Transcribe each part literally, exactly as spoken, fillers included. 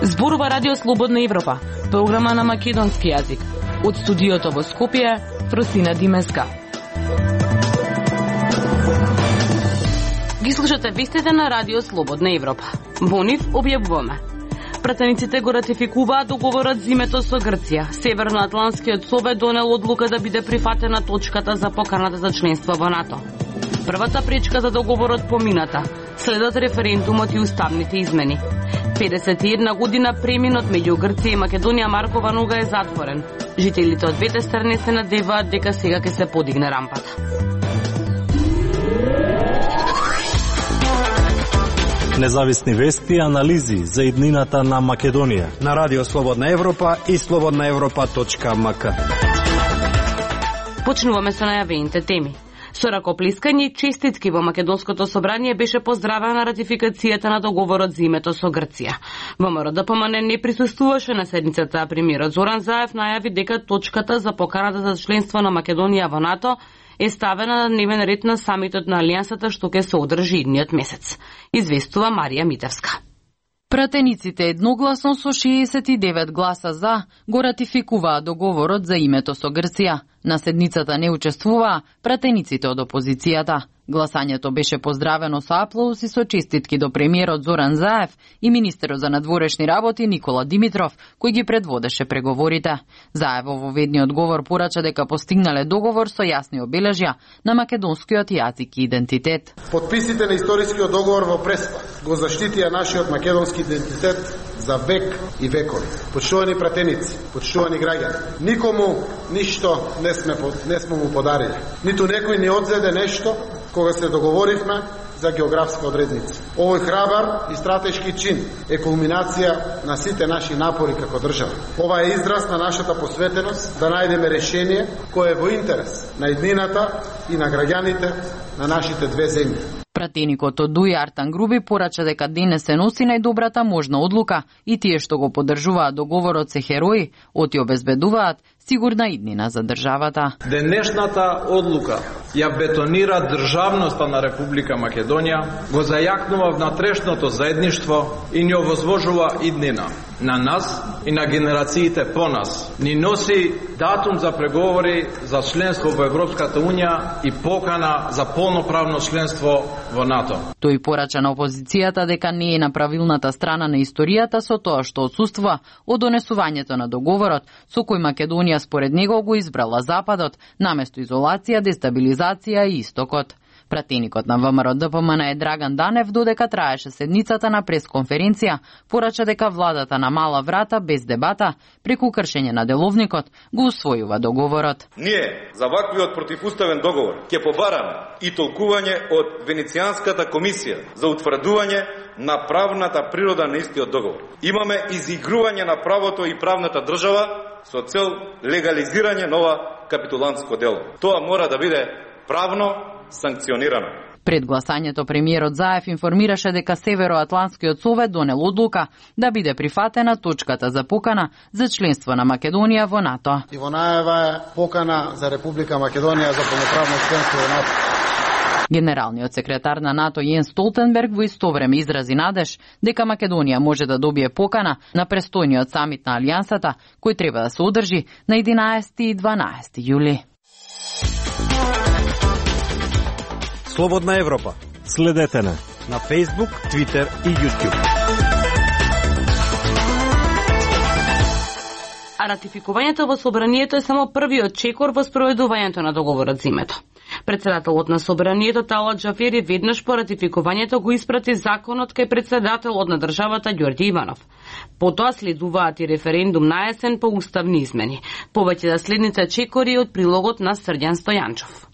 Зборува Радио Слободна Европа, програма на македонски јазик. Од студиото во Скопје, Фросина Димеска. Ги слушате вестите на Радио Слободна Европа. Во нив објавуваме. Пратениците го ратификуваат договорот за името со Грција. Северноатлантскиот совет донел одлука да биде прифатена точката за поканата за членство во НАТО. Првата пречка за договорот помината. Следат референдумот и уставните измени. педесет и една година преминот меѓу Грција и Македонија Маркова нога е затворен. Жителите од двете страни се надеваат дека сега ќе се подигне рампата. Независни вести и анализи за иднината на Македонија на Радио Слободна Европа и слободна европа точка ем ка. Почнуваме со најавените теми. Со ракоплескање и честитки во Македонското собрание беше поздравена ратификацијата на договорот за името со Грција. ВМРО Д П М Н не присуствуваше на седницата, а премиерот Зоран Заев најави дека точката за поканата за членство на Македонија во НАТО е ставена на дневен ред на самитот на Алијансата што ќе се одржи идниот месец. Известува Марија Митевска. Пратениците едногласно со шеесет и девет гласа за го ратификуваа договорот за името со Грција. На седницата не учествуваа пратениците од опозицијата. Гласањето беше поздравено со аплауз и со честитки до премиерот Зоран Заев и министерот за надворешни работи Никола Димитров, кој ги предводеше преговорите. Заев во ведниот говор порача дека постигнале договор со јасни обележја на македонскиот јазик и идентитет. Подписите на историскиот договор во Преспа го заштитија нашиот македонски идентитет за век и векови. Почитувани пратеници, почитувани граѓани, никому ништо не сме не сме му подарили. Ниту некој ни одзеде нешто кога се договоривме за географска одредница. Овој храбар и стратешки чин е кулминација на сите наши напори како држава. Ова е израз на нашата посветеност да најдеме решение кое е во интерес на иднината и на граѓаните на нашите две земји. Пратеникот од Дуј Артан Груби порача дека денес се носи најдобрата можна одлука и тие што го поддржуваат договорот се херои, оти обезбедуваат сигурна иднина за државата. Денешната одлука ја бетонира државноста на Република Македонија, го зајакнува внатрешното заедништво и ни овозвожува иднина на нас и на генерациите по нас. Ни носи датум за преговори за членство во Европската Унија и покана за полноправно членство во НАТО. Тој порача на опозицијата дека не е на правилната страна на историјата со тоа што отсуствува од донесувањето на договорот со кој Македонија според него го избрала Западот наместо изолација, дестабилизација и Истокот. Пратеникот на ВМРО Д П М Н е Драган Данев, додека траеше седницата на пресконференција, порача дека владата на мала врата без дебата преку кршење на деловникот го усвојува договорот. Ние за ваквиот противуставен договор ќе побараме и толкување од Венецијанската комисија за утврдување на правната природа на истиот договор. Имаме изигрување на правото и правната држава со цел легализирање нова капитулантско дело. Тоа мора да биде правно санкционирано. Пред гласањето премиерот Заев информираше дека Североатлантскиот совет донел одлука да биде прифатена точката за покана за членство на Македонија во НАТО. И во најава е покана за Република Македонија за полноправно членство во НАТО. Генералниот секретар на НАТО Јенс Столтенберг во исто време изрази надеж дека Македонија може да добие покана на престојниот самит на Алијансата, кој треба да се одржи на единаесети и дванаесети јули. Слободна Европа. Следете на на Facebook, Twitter и YouTube. А ратификувањето во собранието е само првиот чекор во спроведувањето на договорот за името. Председателот на собранието Талат Джафери веднаш по ратификувањето го испрати законот кај председателот на државата Ѓорѓе Иванов. Потоа следуваат и референдум на есен по уставни измени. Повеќе за следните чекори од прилогот на Срđan Стојанчов.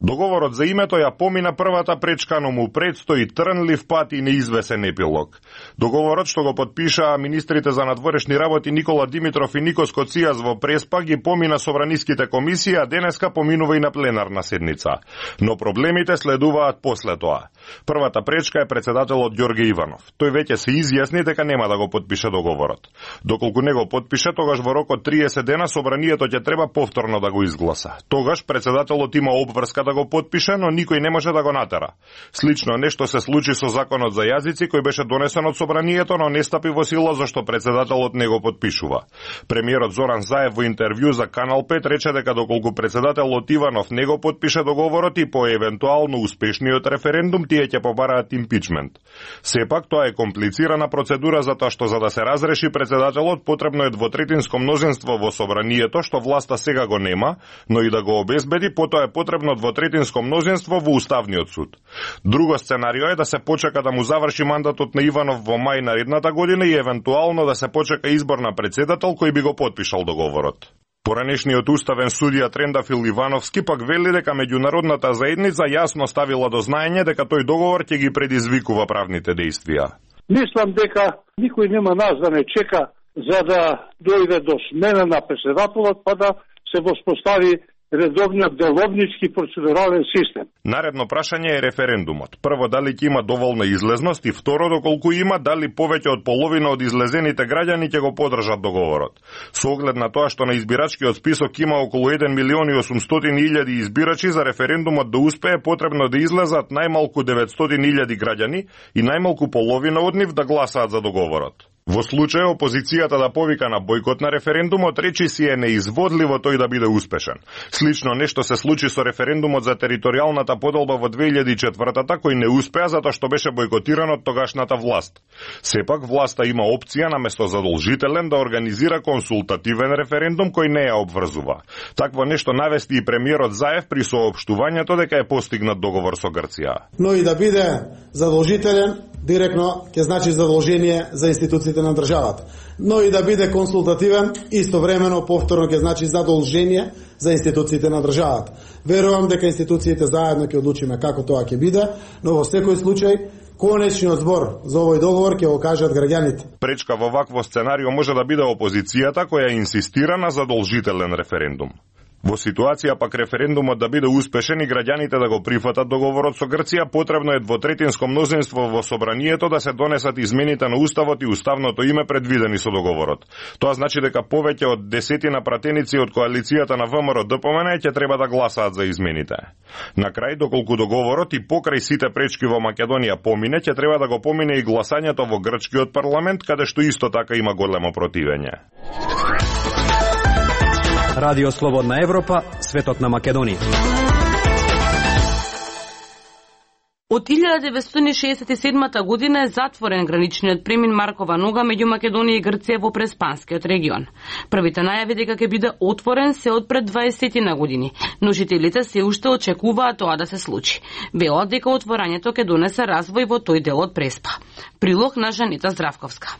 Договорот за името ја помина првата пречка, но му предстои трнлив пат и неизвесен епилог. Договорот што го подпишаа министрите за надворешни работи Никола Димитров и Никос Коцијас во Преспа ги помина собраниските комисии, а денеска поминува и на пленарна седница. Но проблемите следуваат после тоа. Првата пречка е председателот Ѓорге Иванов. Тој веќе се изјасни дека нема да го подпише договорот. Доколку не го подпише, тогаш во рок од триесет дена собранието ќе треба повторно да го изгласа. Тогаш председателот има обврска да го подпише, но никој не може да го натера. Слично нешто се случи со законот за јазици кој беше донесен од собранието, но не стапи во сила зашто председателот не го подпишува. Премиерот Зоран Заев во интервју за Канал пет рече дека доколку председателот Иванов не го подпише договорот и по евентуално успешниот референдум тие ќе побараат импичмент. Сепак тоа е комплицирана процедура затоа што за да се разреши председателот потребно е двотретинско мнозинство во собранието што власта сега го нема, но и да го обезбеди потоа е потребно двотретинско мнозинство во Уставниот суд. Друго сценарио е да се почека да му заврши мандатот на Иванов во мај наредната година и евентуално да се почека избор на председател кој би го подпишал договорот. Поранешниот уставен судија Трендафил Ивановски пак вели дека меѓународната заедница јасно ставила до знаење дека тој договор ќе ги предизвикува правните действија. Мислам дека никој нема нас да не чека за да дојде до смена на председателот, па да се воспостави редовниот деловнички процедурален систем. Наредно прашање е референдумот. Прво, дали ќе има доволна излезност и второ, доколку има, дали повеќе од половина од излезените граѓани ќе го поддржат договорот. Со оглед на тоа што на избирачкиот список има околу еден милион и осумстотини илјади избирачи, за референдумот да успее потребно да излезат најмалку деветстотини илјади граѓани и најмалку половина од нив да гласаат за договорот. Во случај опозицијата да повика на бојкот на референдумот, речи си е неизводливо тој да биде успешен. Слично нешто се случи со референдумот за територијалната поделба во две илјади и четвртата, кој не успеа затоа што беше бојкотиран од тогашната власт. Сепак власта има опција наместо задолжителен да организира консултативен референдум кој не ја обврзува. Такво нешто навести и премиерот Заев при соопштувањето дека е постигнат договор со Грција. Но и да биде задолжителен, директно ќе значи задолжение за институциите на државата. Но и да биде консултативен, истовремено повторно ќе значи задолжение за институциите на државата. Верувам дека институциите заедно ќе одлучиме како тоа ќе биде, но во секој случај конечниот збор за овој договор ќе го кажат граѓаните. Пречка во вакво сценарио може да биде опозицијата која инсистира на задолжителен референдум. Во ситуација пак референдумот да биде успешен и граѓаните да го прифатат договорот со Грција, потребно е двотретинско мнозинство во собранието да се донесат измените на уставот и уставното име предвидени со договорот. Тоа значи дека повеќе од десетина пратеници од коалицијата на ВМРО Д П М Н ќе треба да гласаат за измените. На крај, доколку договорот и покрај сите пречки во Македонија помине, ќе треба да го помине и гласањето во грчкиот парламент, каде што исто така има големо противење. Радио Слободна Европа, светот на Македонија. Од илјада деветстотини и шеесет и седма година е затворен граничниот премин Маркова нога меѓу Македонија и Грција во Преспанскиот регион. Првите најави дека ќе биде отворен се од пред дваесет години, но жителите се уште очекуваат тоа да се случи. Велат дека отворањето ќе донесе развој во тој дел од Преспа. Прилог на Жанита Здравковска.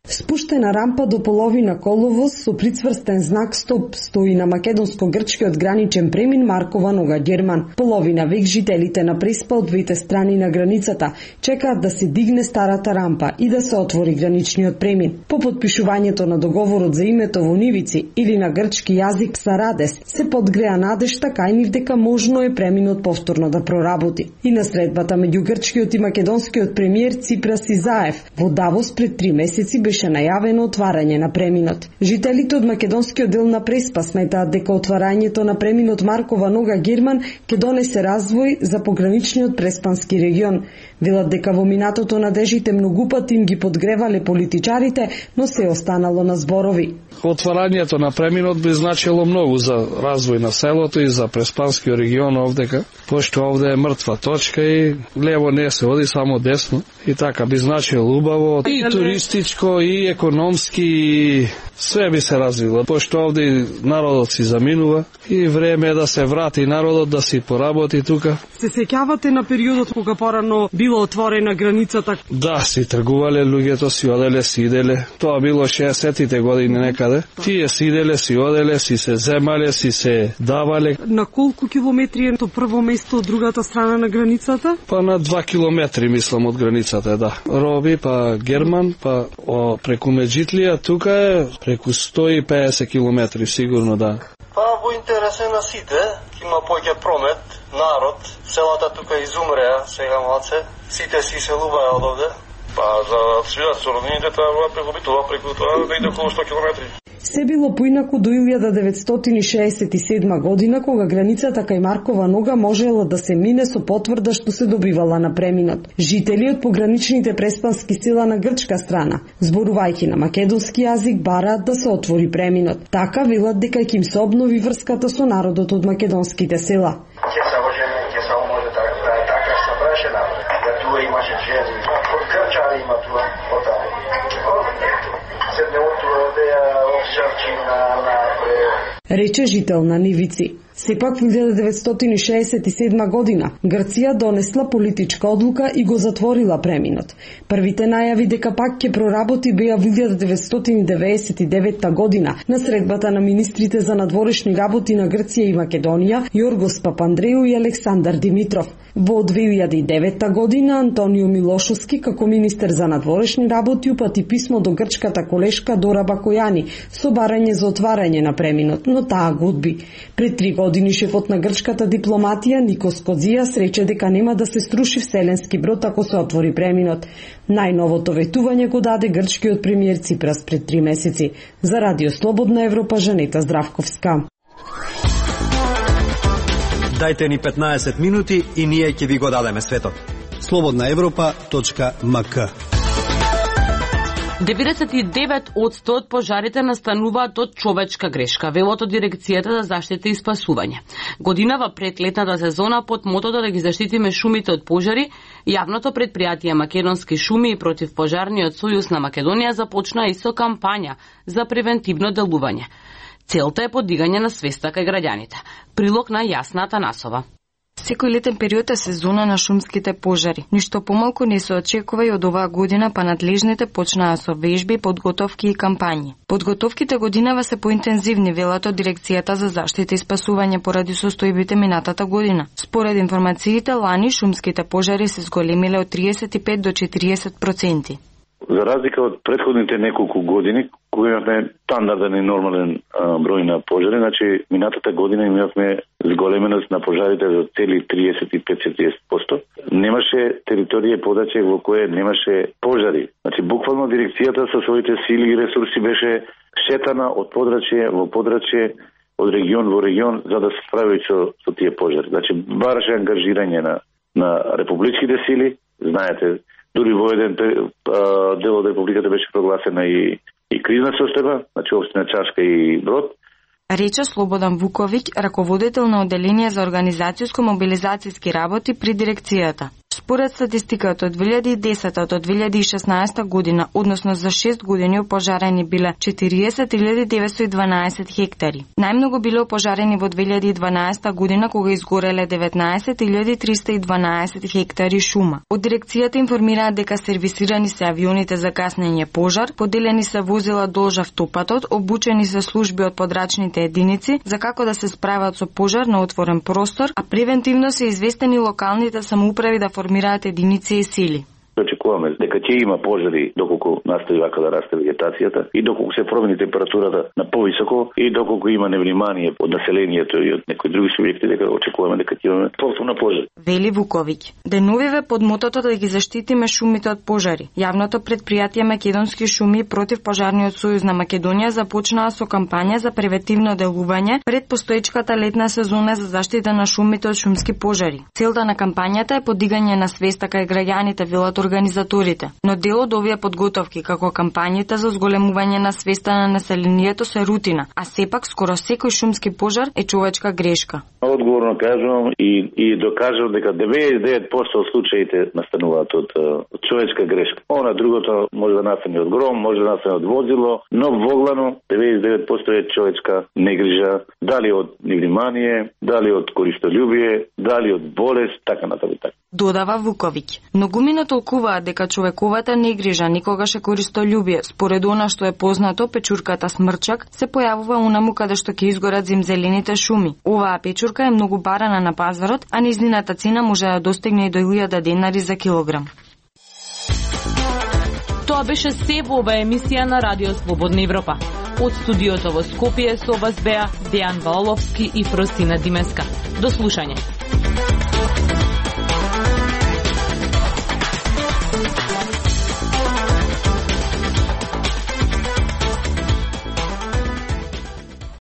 Спуштена рампа до половина коловоз со прицврстен знак стоп стои на македонско-грчкиот граничен премин Маркова нога Герман. Половина век жителите на Преспа од двете страни на границата чекаат да се дигне старата рампа и да се отвори граничниот премин. По подпишувањето на договорот за името во нивици или на грчки јазик Сарадес се подгреа надежта кај нив дека можно е преминот повторно да проработи. И на средбата меѓу грчкиот и македонскиот премиер Ципрас и Заев во Давос пред три месеци беше најавено отварање на преминот. Жителите од македонскиот дел на Преспа сметаат дека отварањето на преминот Маркова нога Герман ќе донесе развој за пограничниот преспански регион. Велат дека во минатото надежите многу пати им ги подгревале политичарите, но се останало на зборови. Отварањето на преминот би значило многу за развој на селото и за преспанскиот регион овдека, пошто овде е мртва точка и лево не се оди, само десно. И така би значило убаво и туристичко, и економски све би се развило, пошто овде народот си заминува и време е да се врати народот да си поработи тука. Се сеќавате на периодот кога порано било отворена границата? Да, си тргувале луѓето, си оделе, си иделе. Тоа било шеесеттите години некаде. Тие си иделе, си оделе, си се земале, си се давале. На колку километри е то прво место од другата страна на границата? Па на два километри, мислам, од границата, да. Роби, па Герман, па о, преку Меджитлија, тука е преку сто и педесет километри, сигурно, да. Па во интерес е на сите, има поќе промет, народ, селата тука изумреа, сега малце, сите си селуваат од овде. Па за свидат со роднините тоа преку Битола, преку тоа да иде околу сто километри. Се било поинаку до илјада деветстотини шеесет и седма година, кога границата кај Маркова нога можела да се мине со потврда што се добивала на преминот. Жители од пограничните преспански села на грчка страна, зборувајќи на македонски јазик, бараат да се отвори преминот. Така велат дека ќе им се обнови врската со народот од македонските села. Ќе се може, ќе се може да е така што браше напред. Да туа имаше жени, од Грчари има туа, од таму. Седне од туа да ја обшарчи на напред. Рече жител на Нивици. Сепак во илјада деветстотини шеесет и седма година Грција донесла политичка одлука и го затворила преминот. Првите најави дека пак ќе проработи беа во илјада деветстотини деветдесет и девета година на средбата на министрите за надворешни работи на Грција и Македонија Јоргос Папандреу и Александар Димитров. Во две илјади и девета година Антонио Милошовски како министер за надворешни работи упати писмо до грчката колешка Дора Бакојани со барање за отварање на преминот, но таа го одби. Пред три години шефот на грчката дипломатија Никос Кодзијас рече дека нема да се струши вселенски брод ако се отвори преминот. Најновото ветување го даде грчкиот премиер Ципрас пред три месеци. За Радио Слободна Европа, Жанета Здравковска. Дајте ни петнаесет минути и ние ќе ви го дадеме светот. слободна европа точка ем ка. деветдесет и девет одсто од пожарите настануваат од човечка грешка, велото Дирекцијата за заштита и спасување. Годинава пред летната сезона под мотото да ги заштитиме шумите од пожари, јавното предпријатие Македонски шуми и противпожарниот сојуз на Македонија започна и со кампања за превентивно делување. Целта е подигање на свеста кај граѓаните. Прилог на Јасна Атанасова. Секој летен период е сезона на шумските пожари. Ништо помалку не се очекува и од оваа година, па надлежните почнаа со вежби, подготовки и кампањи. Подготовките годинава се поинтензивни, велат од Дирекцијата за заштита и спасување поради состојбите минатата година. Според информациите, лани шумските пожари се зголемиле од триесет и пет до четириесет проценти. За разлика од претходните неколку години, кога имавме стандарден и нормален а, број на пожари, значи минатата година имавме зголеменост на пожарите за цели триесет и пет до четириесет проценти. Немаше територија подаче во кое немаше пожари. Значи буквално дирекцијата со своите сили и ресурси беше шетана од подрачје во подрачје, од регион во регион за да се справи со, со тие пожари. Значи бараше ангажирање на на републичките сили, знаете. Дури во еден дел од републиката беше прогласена и, и кризна состојба, значи општина Чашка и Брод. Рече Слободан Вуковиќ, раководител на Оделение за организацијско-мобилизацијски работи при дирекцијата. Според статистиката од две илјади и десета до две илјади и шеснаесета година, односно за шест години опожарени биле четириесет илјади деветстотини и дванаесет хектари. Најмногу биле опожарени во две илјади и дванаесета година кога изгореле деветнаесет илјади триста и дванаесет хектари шума. Од дирекцијата информираат дека сервисирани се авионите за гаснење пожар, поделени се возила долж автопатот, обучени се служби од подрачните единици за како да се справат со пожар на отворен простор, а превентивно се известени локалните самоуправи да формираат единици и сили. Очекуваме дека ќе има пожари доколку настави вака да расте вегетацијата и доколку се промени температурата на повисоко и доколку има невнимание од населението и од некои други субјекти, дека очекуваме дека ќе имаме повторно пожари. Вели Вуковиќ. Деновиве под мотото да ги заштитиме шумите од пожари. Јавното предпријатие Македонски шуми и противпожарниот сојуз на Македонија започнаа со кампања за превентивно делување пред постоечката летна сезона за заштита на шумите од шумски пожари. Целта на кампањата е подигање на свеста кај граѓаните, велат организацијата организаторите, но дел од овие подготовки како кампањите за зголемување на свеста на населението се рутина, а сепак скоро секој шумски пожар е човечка грешка. Одговорно кажувам и и докажувам дека деветдесет и девет проценти од случаите настануваат од, од човечка грешка. Она другото може да настане од гром, може да настане од возило, но воглано деветдесет и девет проценти е човечка негрижа, дали од невнимание, дали од користолюбие, дали од болест, така натаму. Додава Вуковиќ. Многумина толкуваат дека човековата негрижа никогаш е користолюбие. Според она што е познато, печурката смрчак се појавува унаму каде што ќе изгорат зимзелените шуми. Оваа печурка е многу барана на пазарот, а низнината цена може да достигне и до илјада денари за килограм. Тоа беше се во оваа емисија на Радио Слободна Европа. Од студиото во Скопје со вас беа Дејан Ваоловски и Фросина Димеска. До слушање.